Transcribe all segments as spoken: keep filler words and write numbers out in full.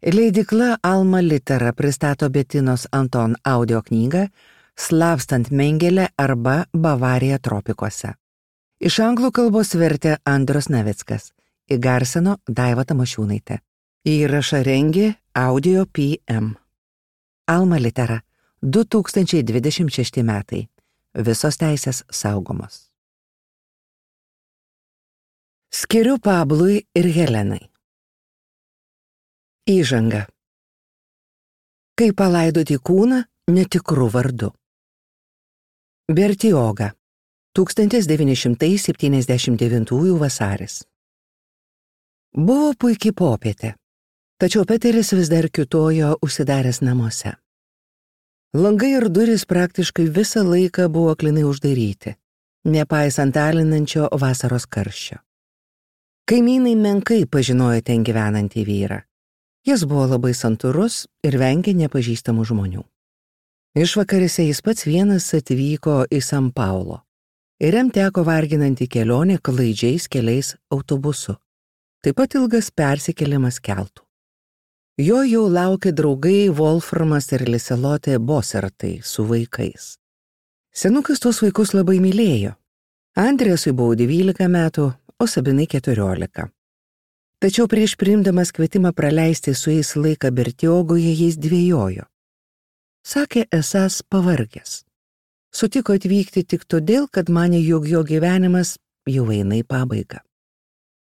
Leidykla Alma Litera pristato Betinos Anton audio knygą Slapstant Mengelę arba Bavarija tropikuose. Iš anglų kalbos vertė Andrius Navickas, įgarsino Daiva Tamošiūnaitė. Įrašą rengė Audio P M. Alma Litera, du tūkstančiai dvidešimt šešti metai. Visos teisės saugomos. Skiriu Pablui ir Helenai. Įžanga. Kaip palaidoti kūną netikrų vardu. Bertioga. tūkstantis devyni šimtai septyniasdešimt devintųjų vasaris. Buvo puikiai popietė, tačiau Peteris vis dar kiūtojo užsidaręs namuose. Langai ir durys praktiškai visą laiką buvo aklinai uždaryti, nepaisant alinančio vasaros karščio. Kaimynai menkai pažinojo ten gyvenantį vyrą. Jis buvo labai santūrus ir vengė nepažįstamų žmonių. Išvakarėse jis pats vienas atvyko į San Paulo ir jam teko varginanti kelionė klaidžiais keliais autobusu, taip pat ilgas persikėlimas keltu. Jo jau laukė draugai Wolframas ir Liselotė Bosertai su vaikais. Senukas tuos vaikus labai mylėjo. Andrėsui buvo dvylika metų, o Sabinai keturiolika. Tačiau prieš priimdamas kvietimą praleisti su jais laiką Bertiogoje jis dvejojo. Sakė esąs pavargęs. Sutiko atvykti tik todėl, kad manė, jog jo gyvenimas jau eina į pabaigą.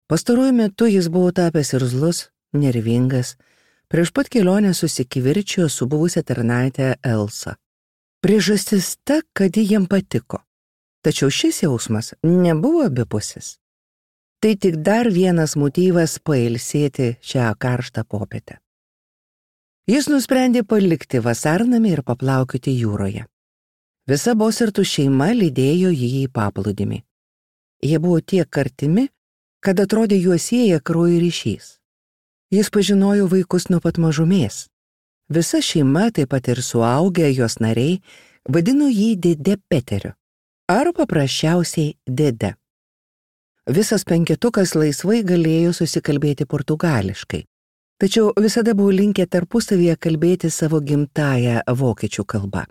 Pastaruoju metu jis buvo tapęs irzlus, nervingas, prieš pat kelionę susikivirčijo su buvusia tarnaite Elsa. Priežastis ta, kad ji jam patiko. Tačiau šis jausmas nebuvo abipusis. Tai tik dar vienas motyvas pailsėti šią karštą popietę. Jis nusprendė palikti vasarnamį ir paplaukioti jūroje. Visa Bosertų šeima lydėjo jį į paplūdimį. Jie buvo tiek artimi, kad atrodė juos sieja kraujo ryšys. Jis pažinojo vaikus nuo pat mažumės. Visa šeima, taip pat ir suaugę jos nariai, vadino jį dėde Peteriu, ar paprasčiausiai dėde. Visas penketukas laisvai galėjo susikalbėti portugališkai, tačiau visada buvo linkę tarpusavyje kalbėti savo gimtąją vokiečių kalbą.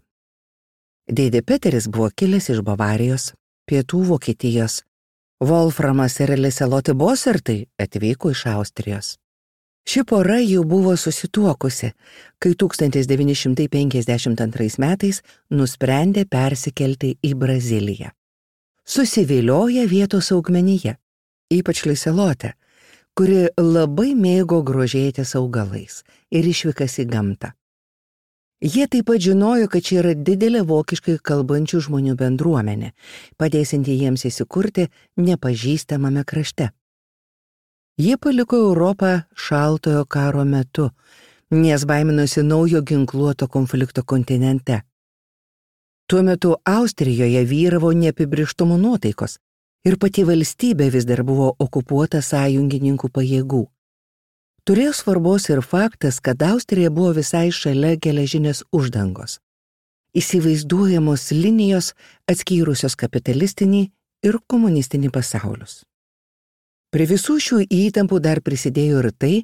Dėdė Peteris buvo kilęs iš Bavarijos, pietų Vokietijos. Wolframas ir Liselotė Bosertai atvyko iš Austrijos. Ši pora jau buvo susituokusi, kai tūkstantis devyni šimtai penkiasdešimt antrais metais nusprendė persikelti į Braziliją. Susivilioja vietos augmenyje, ypač Liselotė, kuri labai mėgo grožėtis augalais ir išvykas į gamtą. Jie taip pat žinojo, kad čia yra didelė vokiškai kalbančių žmonių bendruomenė, padėsianti jiems įsikurti nepažįstamame krašte. Jie paliko Europą šaltojo karo metu, nes baiminosi naujo ginkluoto konflikto kontinente. Tuo metu Austrijoje vyravo neapibrėžtumo nuotaikos ir pati valstybė vis dar buvo okupuota sąjungininkų pajėgų. Turėjo svarbos ir faktas, kad Austrija buvo visai šalia geležinės uždangos. Įsivaizduojamos linijos atskyrusios kapitalistinį ir komunistinį pasaulius. Prie visų šių įtampų dar prisidėjo ir tai,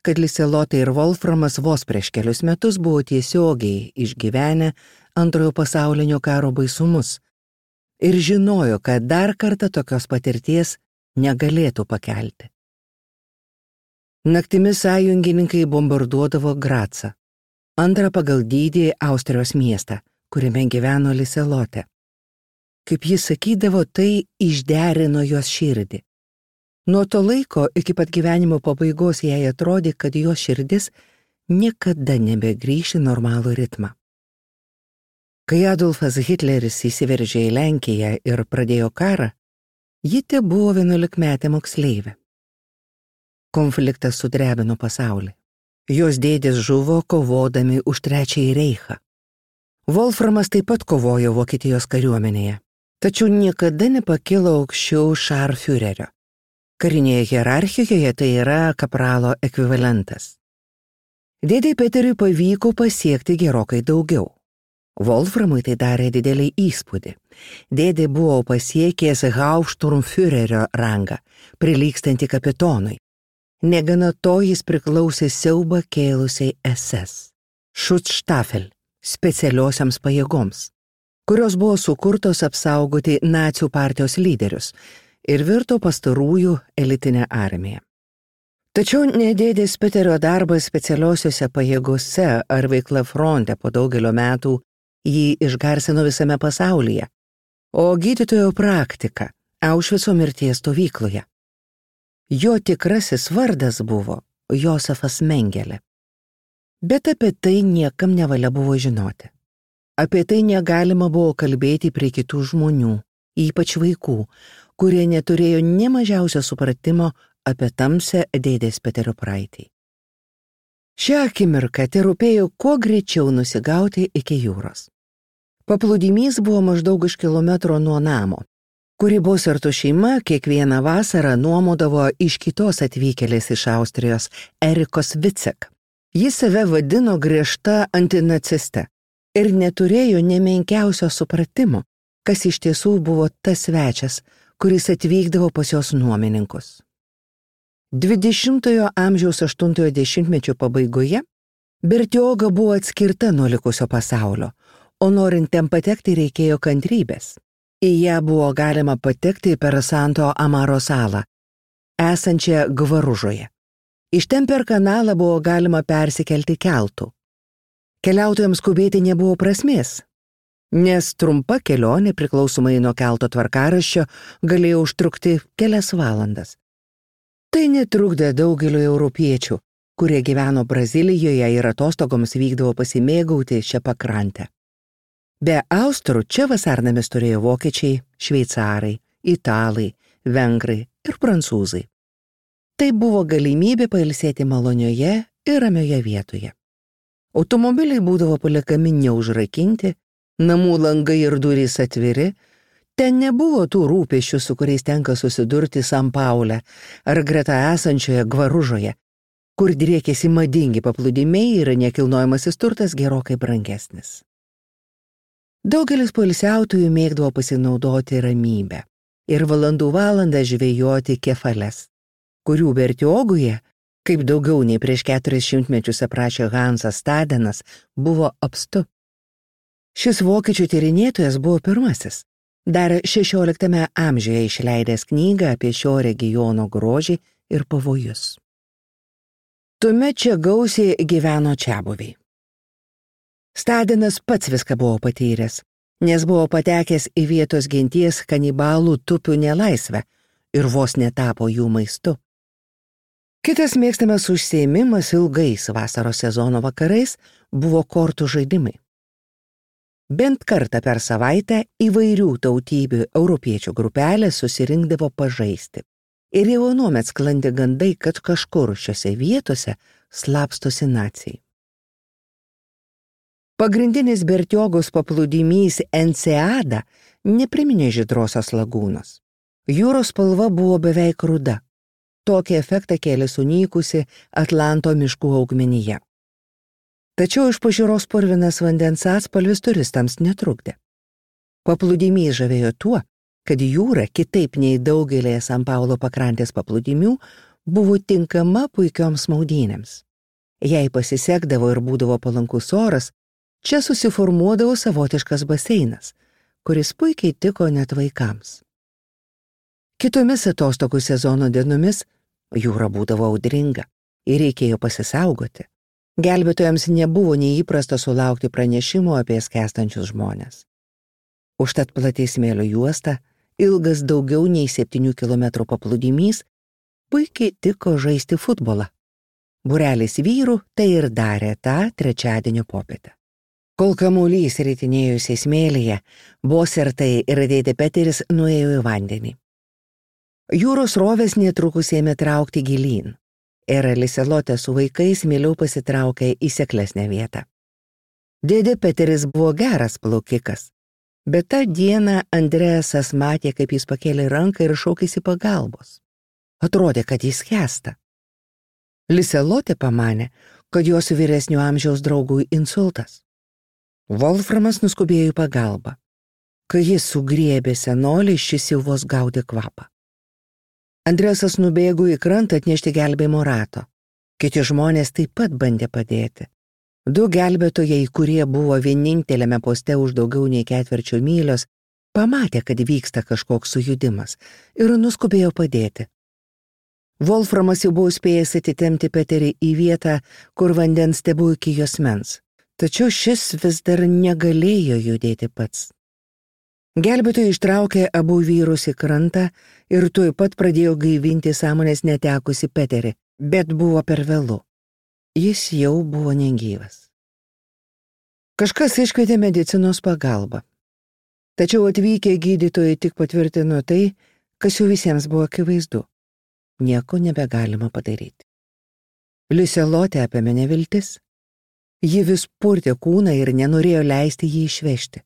kad Liselotė ir Wolframas vos prieš kelius metus buvo tiesiogiai išgyvenę antrojo pasaulinio karo baisumus ir žinojo, kad dar kartą tokios patirties negalėtų pakelti. Naktimis sąjungininkai bombarduodavo Gracą, antrą pagal dydį Austrijos miestą, kuriame gyveno Liselotė. Kaip jis sakydavo, tai išderino jos širdį. Nuo to laiko iki pat gyvenimo pabaigos jai atrodė, kad jos širdis niekada nebegrįš į normalų ritmą. Kai Adolfas Hitleris įsiveržė į Lenkiją ir pradėjo karą, ji tebuvo vienuolikmetė moksleivė. Konfliktas sudrebino pasaulį. Jos dėdės žuvo kovodami už trečiąjį reichą. Wolframas taip pat kovojo Vokietijos kariuomenėje, tačiau niekada nepakilo aukščiau šarfiurerio. Karinėje hierarchijoje tai yra kapralo ekvivalentas. Dėdei Peteriui pavyko pasiekti gerokai daugiau. Wolframui tai darė didelį įspūdį. Dėdė buvo pasiekęs Hauptsturmführerio rangą, prilygstantį kapitonui. Negana to jis priklausė siaubą kėlusiai S S, Schutzstaffel, specialiosiams pajėgoms, kurios buvo sukurtos apsaugoti nacių partijos lyderius ir virto pastarųjų elitinę armiją. Tačiau ne dėdės Peterio darbas specialiosiuose pajėgose ar veikla fronte po daugelio metų jį išgarsino visame pasaulyje, o gydytojo praktika Aušvico mirties stovykloje. Jo tikrasis vardas buvo Josefas Mengelė. Bet apie tai niekam nevalia buvo žinoti. Apie tai negalima buvo kalbėti prie kitų žmonių, ypač vaikų, kurie neturėjo nė mažiausio supratimo apie tamsią dėdės Peterio praeitį. Šią akimirką terūpėjo kuo greičiau nusigauti iki jūros. Paplūdimys buvo maždaug už kilometro nuo namo, kurį Boserto šeima kiekvieną vasarą nuomodavo iš kitos atvykėlės iš Austrijos, Erikos Vicek. Jis save vadino griežta antinaciste ir neturėjo nemenkiausio supratimo, kas iš tiesų buvo tas svečias, kuris atvykdavo pas jos nuomininkus. dvidešimtojo amžiaus aštuntojo dešimtmečio pabaigoje Bertioga buvo atskirta nuo likusio pasaulio, o norint ten patekti reikėjo kantrybės. Į ją buvo galima patekti per Santo Amaro salą, esančią Gvaružoje. Iš ten per kanalą buvo galima persikelti keltu. Keliautojams skubėti nebuvo prasmės, nes trumpa kelionė priklausomai nuo kelto tvarkaraščio galėjo užtrukti kelias valandas. Tai netrukdė daugeliu europiečių, kurie gyveno Brazilijoje ir atostogoms vykdavo pasimėgauti šią pakrantę. Be austrų čia vasarnamis turėjo vokiečiai, šveicarai, italai, vengrai ir prancūzai. Tai buvo galimybė pailsėti malonioje ir ramioje vietoje. Automobiliai būdavo paliekami neužrakinti, namų langai ir durys atviri, ten nebuvo tų rūpesčių, su kuriais tenka susidurti San Paule ar greta esančioje Gvaružoje, kur driekėsi madingi paplūdimiai ir nekilnojamasis turtas gerokai brangesnis. Daugelis poilsiautojų mėgdavo pasinaudoti ramybę ir valandų valandą žvejoti kefales, kurių Bertioguje, kaip daugiau nei prieš keturis šimtmečius aprašė Hansas Stadenas, buvo apstu. Šis vokiečių tyrinėtojas buvo pirmasis, dar šešioliktame amžiuje išleidęs knygą apie šio regiono grožį ir pavojus. Tuomet čia gausiai gyveno čiabuviai. Stadenas pats viską buvo patyręs, nes buvo patekęs į vietos genties kanibalų tupių nelaisvę ir vos netapo jų maistu. Kitas mėgstamas užsiėmimas ilgais vasaros sezono vakarais buvo kortų žaidimai. Bent kartą per savaitę įvairių tautybių europiečių grupelės susirinkdavo pažaisti. Ir jau anuomet sklandė gandai, kad kažkur šiose vietose slapstosi naciai. Pagrindinis Bertiogos paplūdimys Enseada nepriminė žydrosios lagūnos. Jūros spalva buvo beveik ruda. Tokį efektą kėlė sunykusi Atlanto miškų augmenija. Tačiau iš pažiūros purvinas vandens atspalvis turistams netrukdė. Paplūdimys žavėjo tuo, kad jūra, kitaip nei daugelėje San Paulo pakrantės paplūdimių, buvo tinkama puikioms maudynėms. Jei pasisekdavo ir būdavo palankus oras, čia susiformuodavo savotiškas baseinas, kuris puikiai tiko net vaikams. Kitomis atostogų sezono dienomis jūra būdavo audringa ir reikėjo pasisaugoti. Gelbėtojams nebuvo neįprasta sulaukti pranešimų apie skęstančius žmones. Užtat plati smėlio juosta, ilgas daugiau nei septynių kilometrų paplūdimys, puikiai tiko žaisti futbolą. Būrelis vyrų tai ir darė tą trečiadienio popietę. Kol kamuolys ritinėjusiai smėlyje, Bosertai ir dėdė Peteris nuėjo į vandenį. Jūros rovės netrukus ėmė traukti gilyn. Ir Liselotė su vaikais mieliau pasitraukė į seklesnę vietą. Dėdė Peteris buvo geras plaukikas, bet tą dieną Andreasas matė, kaip jis pakėlė ranką ir šaukėsi pagalbos. Atrodė, kad jis skęsta. Liselotė pamanė, kad jos vyresnio amžiaus draugui insultas. Wolframas nuskubėjo į pagalbą. Kai jis sugriebė senolį, šis jau vos gaudė kvapą. Andresas nubėgo į krantą atnešti gelbėjimo rato. Kiti žmonės taip pat bandė padėti. Du gelbėtojai, kurie buvo vieninteliame poste už daugiau nei ketvirčio mylios, pamatė, kad vyksta kažkoks sujudimas ir nuskubėjo padėti. Wolframas jau buvo spėjęs atitempti Peterį į vietą, kur vandens tebuvo iki juosmens, tačiau šis vis dar negalėjo judėti pats. Gelbėtojai ištraukė abu vyrus į krantą ir tuoj pat pradėjo gaivinti sąmonės netekusi Peterį, bet buvo per vėlu. Jis jau buvo negyvas. Kažkas iškvietė medicinos pagalbą. Tačiau atvykę gydytojai tik patvirtino tai, kas jau visiems buvo akivaizdu. Nieko nebegalima padaryti. Liselotę apėmė neviltis. Ji vis purtė kūną ir nenorėjo leisti jį išvežti.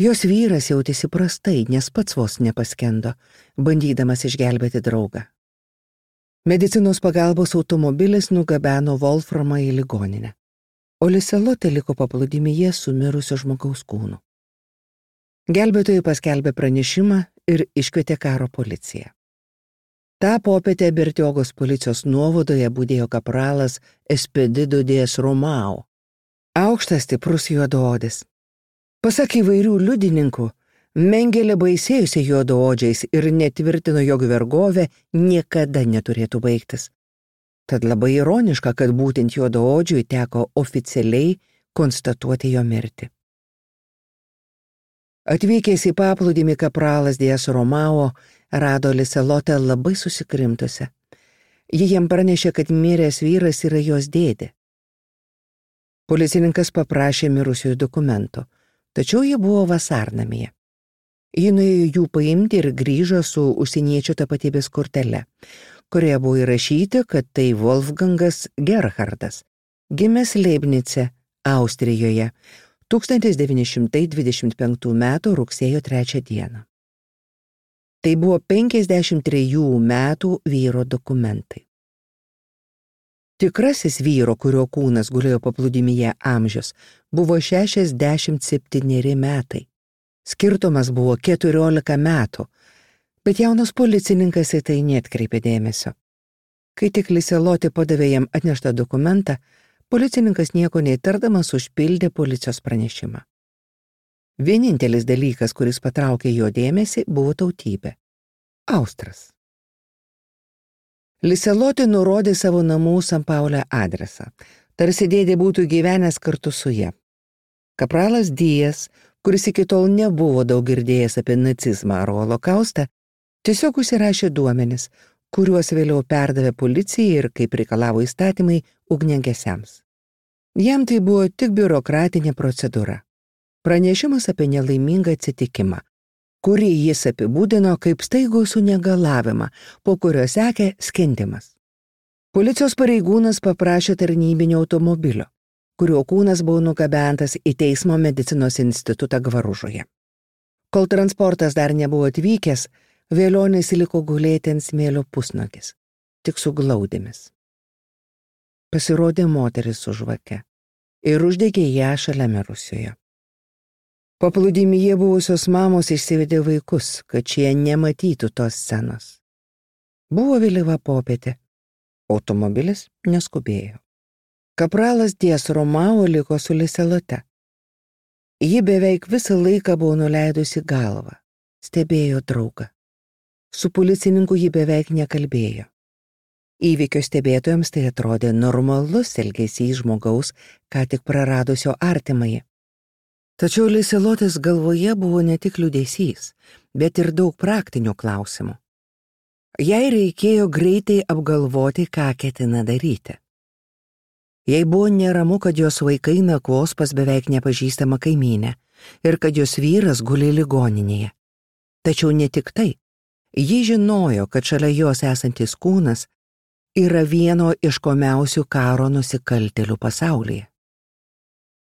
Jos vyras jautėsi prastai, nes pats vos nepaskendo, bandydamas išgelbėti draugą. Medicinos pagalbos automobilis nugabeno Wolframą į ligoninę, o Liselotė liko paplūdimyje su mirusio žmogaus kūnu. Gelbėtojai paskelbė pranešimą ir iškvietė karo policiją. Ta popietę Bertiogos policijos nuovadoje budėjo kapralas Espedido Dies Romao, aukštas stiprus juodaodis. Pasak įvairių liudininkų, Mengelė baisėjusi juodaodžiais ir netvirtino, jog vergovė niekada neturėtų baigtis. Tad labai ironiška, kad būtent juodaodžiui teko oficialiai konstatuoti jo mirtį. Atvykęs į paplūdimį kapralas Dies Romao rado Liselotę labai susikrimtusią. Ji jam pranešė, kad miręs vyras yra jos dėdė. Policininkas paprašė mirusiųjų dokumento, tačiau jie buvo vasarnamyje. Ji nuėjo jų paimti ir grįžo su užsieniečio tapatybės kortele, kurioje buvo įrašyti, kad tai Wolfgangas Gerhardas, gimęs Leibnice, Austrijoje, tūkstantis devyni šimtai dvidešimt penktų metų rugsėjo trečią dieną. Tai buvo penkiasdešimt trejų metų vyro dokumentai. Tikrasis vyro, kurio kūnas gulėjo paplūdimyje amžius, buvo šešiasdešimt septyneri metai. Skirtumas buvo keturiolika metų, bet jaunas policininkas į tai neatkreipė dėmesio. Kai tik Liselotė padavė jam atneštą dokumentą, policininkas nieko neįtardamas užpildė policijos pranešimą. Vienintelis dalykas, kuris patraukė jo dėmesį, buvo tautybė – Austras. Liselotė nurodė savo namų San Paule adresą, tarsi dėdė būtų gyvenęs kartu su ja. Kapralas Dies, kuris iki tol nebuvo daug girdėjęs apie nacizmą ar holokaustą, tiesiog užsirašė duomenis, kuriuos vėliau perdavė policijai ir, kaip reikalavo įstatymai, ugniagesiams. Jam tai buvo tik biurokratinė procedūra. Pranešimas apie nelaimingą atsitikimą, kurį jis apibūdino kaip staigų sunegalavimą, po kurio sekė skendimas. Policijos pareigūnas paprašė tarnybinio automobilio, kurio kūnas buvo nugabentas į teismo medicinos institutą Gvaružoje. Kol transportas dar nebuvo atvykęs, Velionis liko gulėti ant smėlio pusnuogis, tik su glaudėmis. Pasirodė moteris su žvake ir uždegė ją šalia mirusiojo. Paplūdimyje buvusios mamos išsivedė vaikus, kad šie nematytų tos scenos. Buvo vėlyva popietė, automobilis neskubėjo. Kapralas Dies Romao liko su Liselote. Ji beveik visą laiką buvo nuleidusi galvą, stebėjo draugą. Su policininku ji beveik nekalbėjo. Įvykio stebėtojams tai atrodė normalus elgesys žmogaus, ką tik praradusio artimąjį. Tačiau Liselotės galvoje buvo ne tik liūdesys, bet ir daug praktinių klausimų. Jai reikėjo greitai apgalvoti, ką ketina daryti. Jai buvo neramu, kad jos vaikai nakvos pas beveik nepažįstamą kaimynę ir kad jos vyras guli ligoninėje. Tačiau ne tik tai. Ji žinojo, kad šalia jos esantis kūnas yra vieno iškomiausių karo nusikaltėlių pasaulyje.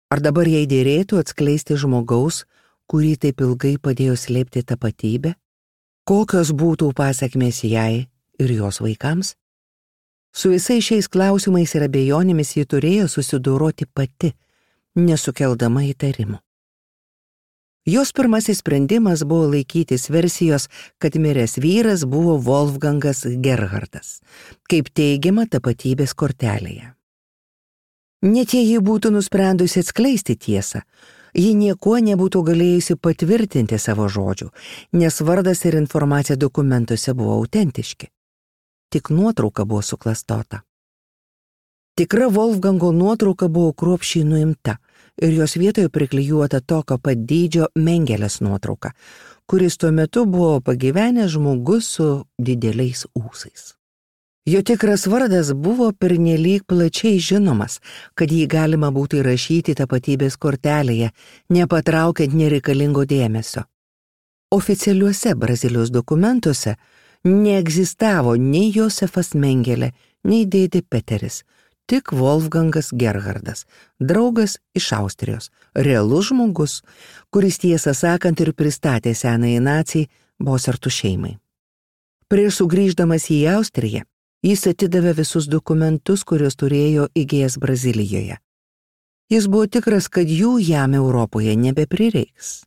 Ar dabar jai dėrėtų atskleisti žmogaus, kurį taip ilgai padėjo slėpti tapatybę? Kokios būtų pasekmės jai ir jos vaikams? Su visais šiais klausimais ir abejonėmis ji turėjo susidoroti pati, nesukeldama įtarimų. Jos pirmasis sprendimas buvo laikytis versijos, kad miręs vyras buvo Wolfgangas Gerhardas, kaip teigiama tapatybės kortelėje. Net jei ji būtų nusprendusi atskleisti tiesą, ji niekuo nebūtų galėjusi patvirtinti savo žodžių, nes vardas ir informacija dokumentuose buvo autentiški. Tik nuotrauka buvo suklastota. Tikra Wolfgango nuotrauka buvo kruopščiai nuimta ir jos vietoje priklijuota tokio pat dydžio Mengelės nuotrauka, kuris tuo metu buvo pagyvenęs žmogus su dideliais ūsais. Jo tikras vardas buvo pernelyg plačiai žinomas, kad jį galima būtų įrašyti tapatybės kortelėje, nepatraukiant nereikalingo dėmesio. Oficialiuose Brazilijos dokumentuose neegzistavo nei Josefas Mengelė, nei dėdė Peteris, tik Wolfgangas Gerhardas, draugas iš Austrijos, realus žmogus, kuris tiesą sakant ir pristatė senąjį nacijai Bosertų šeimai. Prieš sugrįždamas į Austriją, jis atidavė visus dokumentus, kuriuos turėjo įgijęs Brazilijoje. Jis buvo tikras, kad jų jam Europoje nebeprireiks.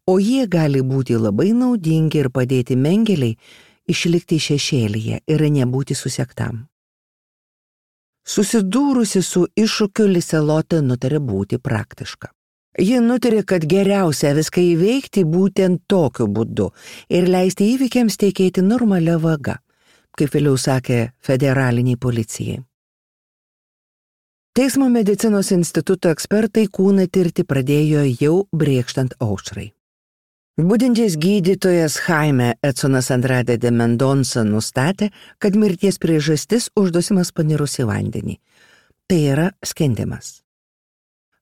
O jie gali būti labai naudingi ir padėti Mengeliai išlikti šešėlyje ir nebūti susektam. Susidūrusi su iššūkiu, Liselotė nutarė būti praktiška. Ji nutarė, kad geriausia viską įveikti būtent tokiu būdu ir leisti įvykiams tekėti normalia vaga, kaip vėliau sakė federaliniai policijai. Teismo medicinos instituto ekspertai kūną tirti pradėjo jau brėkštant aušrai. Budintis gydytojas Jaime Edsonas Andrade de Mendonça nustatė, kad mirties priežastis uždusimas panirus į vandenį. Tai yra skendimas.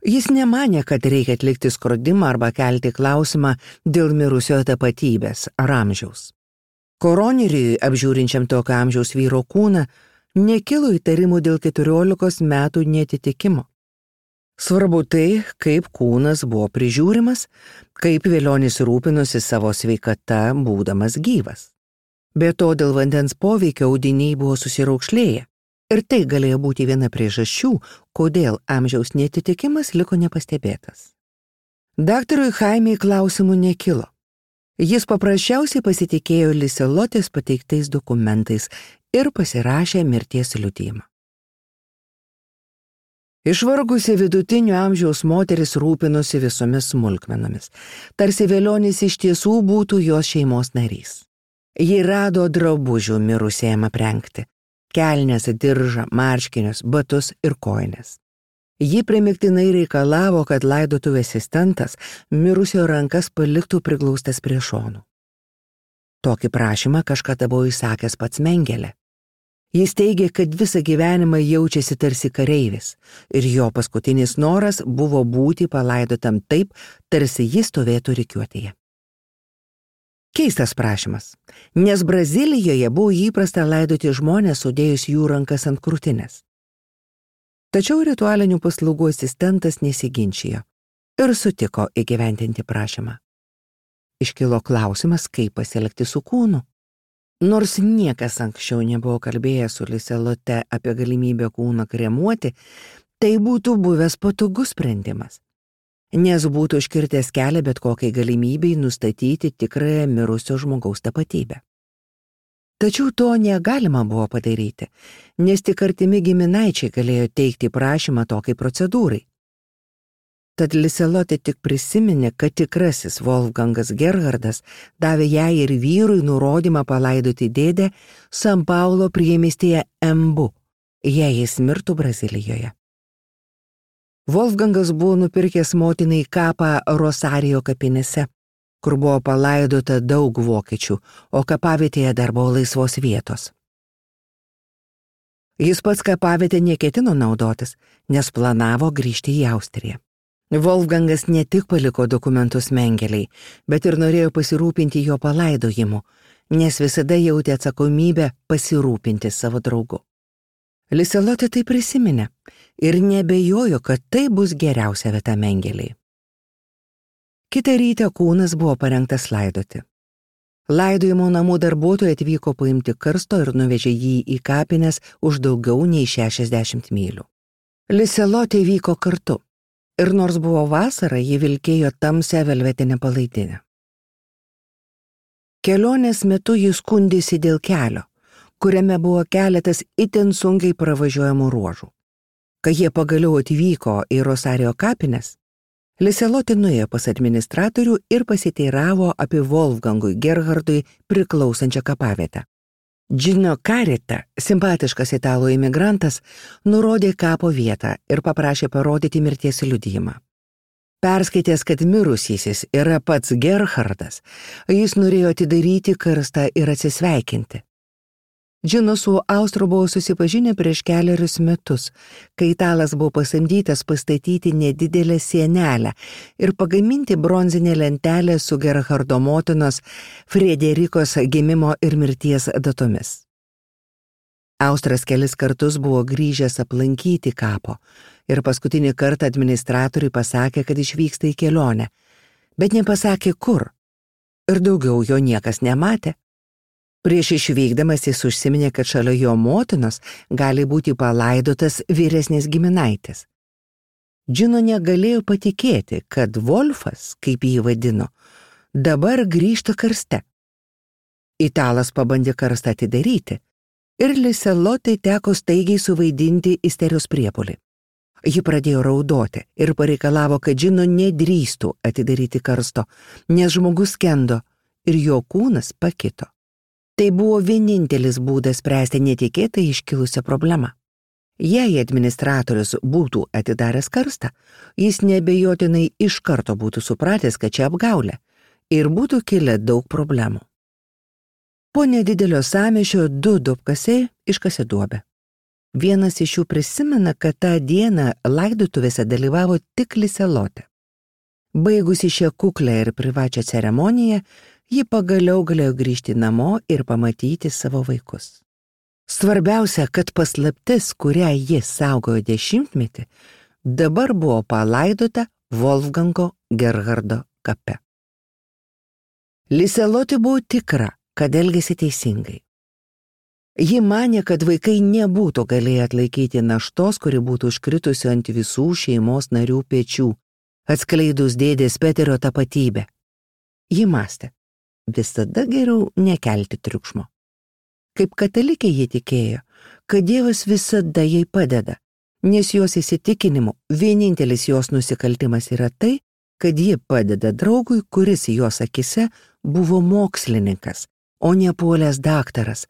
Jis nemanė, kad reikia atlikti skrodimą arba kelti klausimą dėl mirusiojo tapatybės ar amžiaus. Koroneriui, apžiūrinčiam tokio amžiaus vyro kūną, nekilo įtarimų dėl keturiolikos metų neatitikimo. Svarbu tai, kaip kūnas buvo prižiūrimas, kaip Velionis rūpinosi savo sveikata, būdamas gyvas. Be to, dėl vandens poveikio audiniai buvo susiraukšlėję ir tai galėjo būti viena priežasčių, kodėl amžiaus neatitikimas liko nepastebėtas. Daktarui Jaimei klausimų nekilo. Jis paprasčiausiai pasitikėjo Liselotės pateiktais dokumentais ir pasirašė mirties liudijimą. Išvargusi vidutinio amžiaus moteris rūpinosi visomis smulkmenomis, tarsi Velionis iš tiesų būtų jos šeimos narys. Ji rado drabužių mirusėjam aprengti, kelnes, diržą, marškinius, batus ir kojines. Ji primiktinai reikalavo, kad laidotuvių asistentas mirusio rankas paliktų priglaustas prie šonų. Tokį prašymą kažkada buvo įsakęs pats Mengelė. Jis teigė, kad visą gyvenimą jaučiasi tarsi kareivis ir jo paskutinis noras buvo būti palaidotam taip, tarsi jis stovėtų rikiuotėje. Keistas prašymas, nes Brazilijoje buvo įprasta laidoti žmonės sudėjus jų rankas ant krūtinės. Tačiau ritualinių paslaugų asistentas nesiginčijo ir sutiko įgyvendinti prašymą. Iškilo klausimas, kaip pasielgti su kūnu. Nors niekas anksčiau nebuvo kalbėjęs su Liselote apie galimybę kūną kremuoti, tai būtų buvęs patogus sprendimas, nes būtų užkirtęs kelią bet kokiai galimybei nustatyti tikrąją mirusio žmogaus tapatybę. Tačiau to negalima buvo padaryti, nes tik artimi giminaičiai galėjo teikti prašymą tokiai procedūrai. Tad Liselotė tik prisiminė, kad tikrasis Wolfgangas Gerhardas davė jai ir vyrui nurodymą palaidoti dėdę San Paulo priemiestyje Embu, jei jis mirtų Brazilijoje. Wolfgangas buvo nupirkęs motinai kapą Rosario kapinėse, kur buvo palaidota daug vokiečių, o kapavietėje dar buvo laisvos vietos. Jis pats kapavietę neketino naudotis, nes planavo grįžti į Austriją. Wolfgangas ne tik paliko dokumentus Mengeliai, bet ir norėjo pasirūpinti jo palaidojimu, nes visada jautė atsakomybę pasirūpinti savo draugu. Liselotė tai prisiminė ir nebejojo, kad tai bus geriausia vieta Mengeliai. Kitą rytą kūnas buvo parengtas laidoti. Laidojimo namų darbuotojai atvyko paimti karsto ir nuvežė jį į kapines už daugiau nei šešiasdešimt mylių. Liselotė vyko kartu. Ir nors buvo vasara, ji vilkėjo tamsią velvetinę palaidinę. Kelionės metu jis skundėsi dėl kelio, kuriame buvo keletas itin sunkiai pravažiuojamų ruožų. Kai jie pagaliau atvyko į Rosario kapines, Liseloti nuėjo pas administratorių ir pasiteiravo apie Wolfgangui Gerhardui priklausančią kapavietę. Gino Carita, simpatiškas italų imigrantas, nurodė kapo vietą ir paprašė parodyti mirties liudijimą. Perskaitęs, kad mirusysis yra pats Gerhardas, jis norėjo atidaryti karstą ir atsisveikinti. Gino su Austru buvo susipažinę prieš keliarius metus, kai italas buvo pasamdytas pastatyti nedidelę sienelę ir pagaminti bronzinę lentelę su Gerhardo motinos Frederikos gimimo ir mirties datomis. Austras kelis kartus buvo grįžęs aplankyti kapo ir paskutinį kartą administratoriui pasakė, kad išvyksta į kelionę, bet nepasakė kur, ir daugiau jo niekas nematė. Prieš išvykdamas jis užsiminė, kad šalia jo motinos gali būti palaidotas vyresnis giminaitis. Gino negalėjo patikėti, kad Wolfas, kaip jį vadino, dabar grįžta karste. Italas pabandė karstą atidaryti, ir Liselotai teko staigiai suvaidinti isterijos priepuolį. Ji pradėjo raudoti ir pareikalavo, kad Gino nedrįstų atidaryti karsto, nes žmogus skendo ir jo kūnas pakito. Tai buvo vienintelis būdas spręsti netikėtai iškilusią problemą. Jei administratorius būtų atidaręs karstą, jis neabejotinai iš karto būtų supratęs, kad čia apgaulė, ir būtų kilę daug problemų. Po nedidelio sąmyšio du duobkasiai iškasė duobę. Vienas iš jų prisimena, kad tą dieną laidotuvėse dalyvavo tik Liselotė. Baigusi šią kuklę ir privačią ceremoniją, ji pagaliau galėjo grįžti namo ir pamatyti savo vaikus. Svarbiausia, kad paslaptis, kurią ji saugojo dešimtmetį, dabar buvo palaidota Wolfgango Gerhardo kape. Liselotė buvo tikra, kad elgėsi teisingai. Ji manė, kad vaikai nebūtų galėję atlaikyti naštos, kuri būtų užkritusi ant visų šeimos narių pečių, atskleidus dėdės Peterio tapatybę. Ji mąstė, visada geriau nekelti triukšmo. Kaip katalikė ji tikėjo, kad Dievas visada jai padeda, nes jos įsitikinimu vienintelis jos nusikaltimas yra tai, kad ji padeda draugui, kuris jos akise buvo mokslininkas, o ne puolęs daktaras,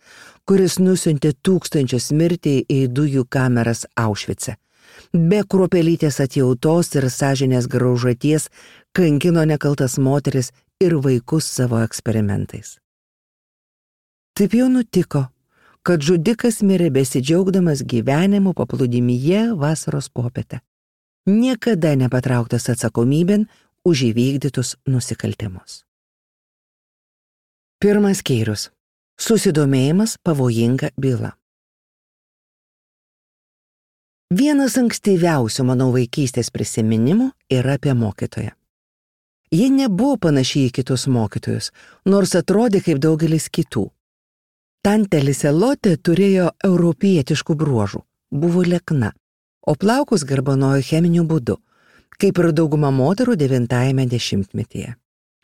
kuris nusiuntė tūkstančius mirti į dujų kameras Aušvice. Be kruopelytės atjautos ir sąžinės graužaties kankino nekaltas moteris ir vaikus savo eksperimentais. Taip jau nutiko, kad žudikas mirė besidžiaugdamas gyvenimu paplūdimyje vasaros popietę, niekada nepatrauktas atsakomybėn už įvykdytus nusikaltimus. Pirmas skyrius. Susidomėjimas pavojinga byla. Vienas ankstyviausių mano vaikystės prisiminimų yra apie mokytoją. Ji nebuvo panaši į kitus mokytojus, nors atrodė kaip daugelis kitų. Tantė Liselotė turėjo europietiškų bruožų, buvo liekna, o plaukus garbanojo cheminiu būdu, kaip ir dauguma moterų devintajame dešimtmetyje.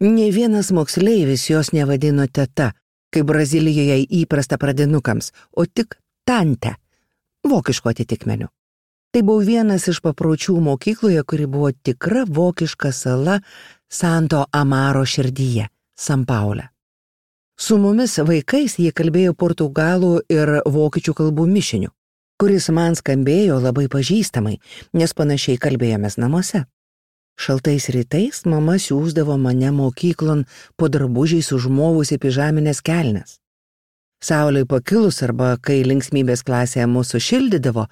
Nė vienas moksleivis jos nevadino teta, kaip Brazilijoje įprasta pradinukams, o tik tante, vokišku atitikmeniu. Tai buvo vienas iš papročių mokykloje, kuri buvo tikra vokiška sala Santo Amaro širdyje, San Paule. Su mumis vaikais jie kalbėjo portugalų ir vokiečių kalbų mišiniu, kuris man skambėjo labai pažįstamai, nes panašiai kalbėjomės namuose. Šaltais rytais mama siųsdavo mane mokyklon po drabužiais užmovusi pižaminės kelnes. Saulei pakilus arba kai linksmybės klasėje mūsų šildydavo,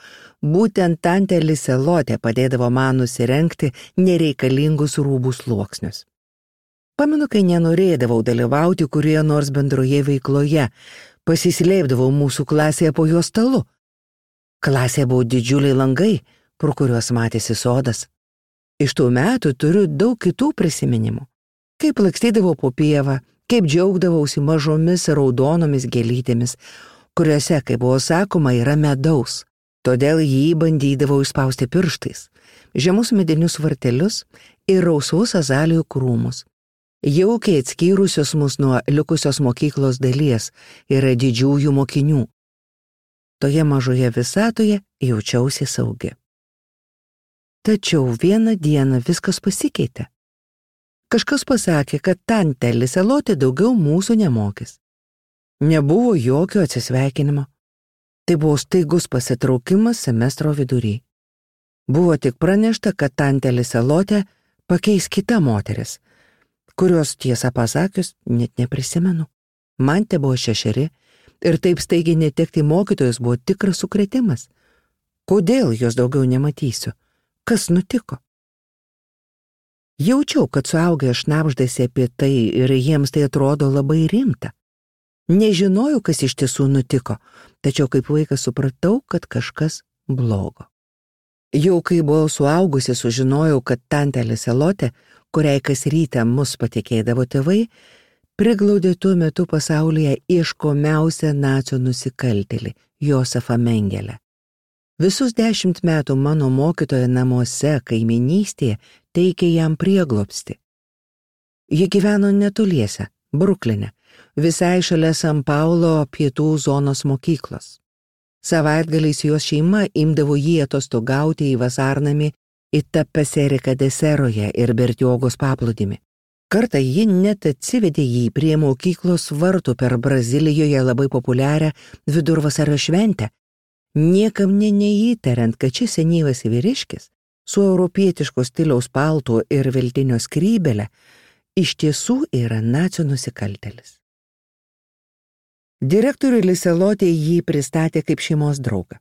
būtent tantė Liselotė padėdavo man nusirengti nereikalingus rūbų sluoksnius. Pamenu, kai nenorėdavau dalyvauti kurioje nors bendroje veikloje, pasislėpdavau mūsų klasėje po jo stalu. Klasėje buvo didžiuliai langai, pro kuriuos matėsi sodas. Iš tų metų turiu daug kitų prisiminimų. Kaip lakstydavau po pievą, kaip džiaugdavausi mažomis raudonomis gėlytėmis, kuriuose, kaip buvo sakoma, yra medaus. Todėl jį bandydavo išspausti pirštais, žemus medinius vartelius ir rausvus azalijų krūmus. Jaukiai atskyrusios mus nuo likusios mokyklos dalies yra didžiųjų mokinių. Toje mažoje visatoje jaučiausi saugi. Tačiau vieną dieną viskas pasikeitė. Kažkas pasakė, kad tantė Liselotė daugiau mūsų nemokys. Nebuvo jokio atsisveikinimo. Tai buvo staigus pasitraukimas semestro vidury. Buvo tik pranešta, kad tantė Liselotė pakeis kita moteris, kurios tiesą pasakius net neprisimenu. Man te buvo šešeri ir taip staigiai netekti mokytojus buvo tikras sukrėtimas. Kodėl jos daugiau nematysiu? Kas nutiko? Jaučiau, kad suaugę šnabždasi apie tai ir jiems tai atrodo labai rimta. Nežinojau, kas iš tiesų nutiko, tačiau kaip vaikas supratau, kad kažkas blogo. Jau kai buvau suaugusi, sužinojau, kad tantė Liselotė, kuriai kas rytą mus patikėdavo tėvai, priglaudė tuo metu pasaulyje ieškomiausią nacių nusikaltėlį, Josefą Mengelę. Visus dešimt metų mano mokytoja namuose kaiminystėje teikė jam prieglobstį. Ji gyveno netoliese, Brukline, visai šalia San Paulo pietų zonos mokyklos. Savaitgaliais jos šeima imdavo jį atostogauti į vasarnamį į Tapeseriką deseroje ir Bertiogos paplūdimį. Kartą ji net atsivedė jį prie mokyklos vartų per Brazilijoje labai populiarią vidurvasario šventę, niekam ne neįtariant, kad šis senyvas vyriškis su europietiško stiliaus paltu ir veltinio skrybele iš tiesų yra nacių nusikaltėlis. Direktoriui Liselotė jį pristatė kaip šeimos draugą.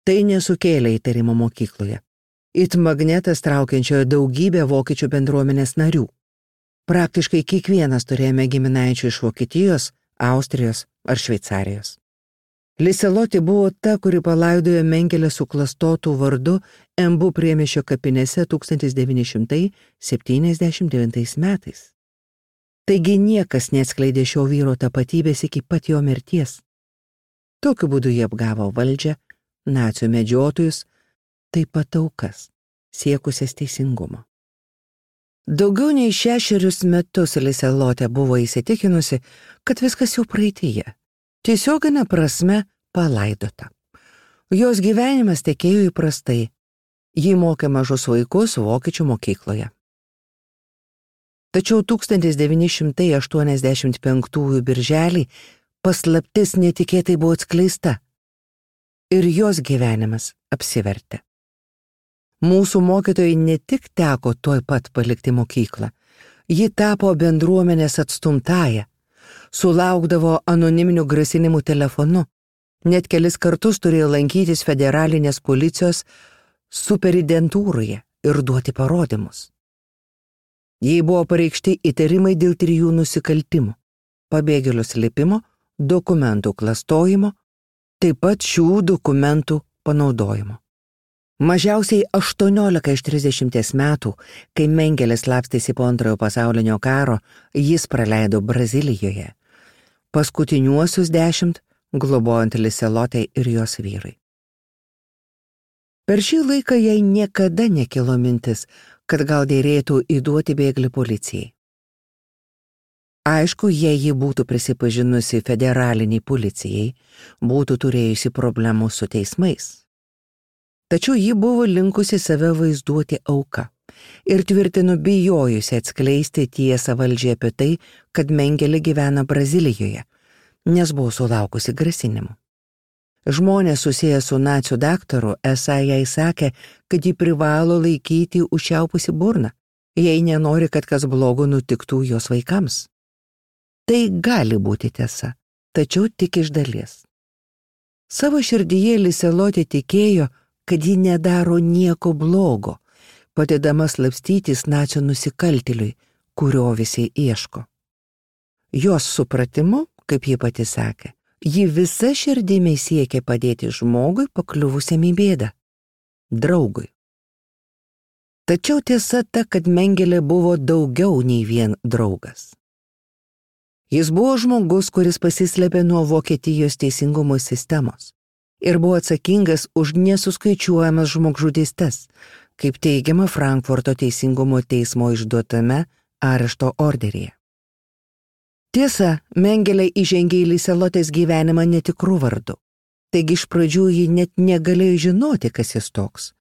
Tai nesukėlė įtarimo mokykloje. It magnetas traukiančioje daugybę vokiečių bendruomenės narių. Praktiškai kiekvienas turėjome giminaičių iš Vokietijos, Austrijos ar Šveicarijos. Liselotė buvo ta, kuri palaidojo Mengelę suklastotų vardu Embu priemiesčio kapinėse tūkstantis devyni šimtai septyniasdešimt devintais metais. Taigi niekas neatskleidė šio vyro tapatybės iki pat jo mirties. Tokiu būdu jie apgavo valdžią, nacių medžiotojus, taip pat aukas, siekusias teisingumo. Daugiau nei šešerius metus Liselotė buvo įsitikinusi, kad viskas jau praeityje, tiesioginė prasme palaidota. Jos gyvenimas tekėjo įprastai, ji mokė mažus vaikus vokiečių mokykloje. Tačiau tūkstantis devyni šimtai aštuoniasdešimt penktųjų birželį paslaptis netikėtai buvo atskleista ir jos gyvenimas apsivertė. Mūsų mokytojai ne tik teko tuoj pat palikti mokyklą, ji tapo bendruomenės atstumtąja, sulaukdavo anoniminių grasinimų telefonu, net kelis kartus turėjo lankytis federalinės policijos superidentūroje ir duoti parodymus. Jai buvo pareikšti įtarimai dėl trijų nusikaltimų – pabėgėlių slėpimo, dokumentų klastojimo, taip pat šių dokumentų panaudojimo. Mažiausiai aštuoniolika iš trisdešimties metų, kai Mengelis slapstėsi po antrojo pasaulinio karo, jis praleido Brazilijoje. Paskutiniuosius dešimt globojant Liselotei ir jos vyrai. Per šį laiką jai niekada nekilo mintis, kad gal dėrėtų įduoti bėglį policijai. Aišku, jei ji būtų prisipažinusi federaliniai policijai, būtų turėjusi problemų su teismais. Tačiau ji buvo linkusi save vaizduoti auka ir tvirtino bijojusi atskleisti tiesą valdžiai apie tai, kad Mengelė gyvena Brazilijoje, nes buvo sulaukusi grasinimų. Žmonės susiję su nacių daktaru esą jai sakė, kad ji privalo laikyti užčiaupusi burną, jei nenori, kad kas blogo nutiktų jos vaikams. Tai gali būti tiesa, tačiau tik iš dalies. Savo širdyje Liselotė tikėjo, kad ji nedaro nieko blogo, padėdama slapstytis nacių nusikaltėliui, kurio visi ieško. Jos supratimu, kaip ji pati sakė, ji visa širdimi siekė padėti žmogui pakliuvusiam į bėdą, draugui. Tačiau tiesa ta, kad Mengelė buvo daugiau nei vien draugas. Jis buvo žmogus, kuris pasislėpė nuo Vokietijos teisingumo sistemos. ir buvo atsakingas už nesuskaičiuojamas žmogžudystes, kaip teigiama Frankfurto teisingumo teismo išduotame arešto orderyje. Tiesa, Mengelė įžengė į Liselotės gyvenimą netikrų vardų, taigi iš pradžių ji net negalėjo žinoti, kas jis toks.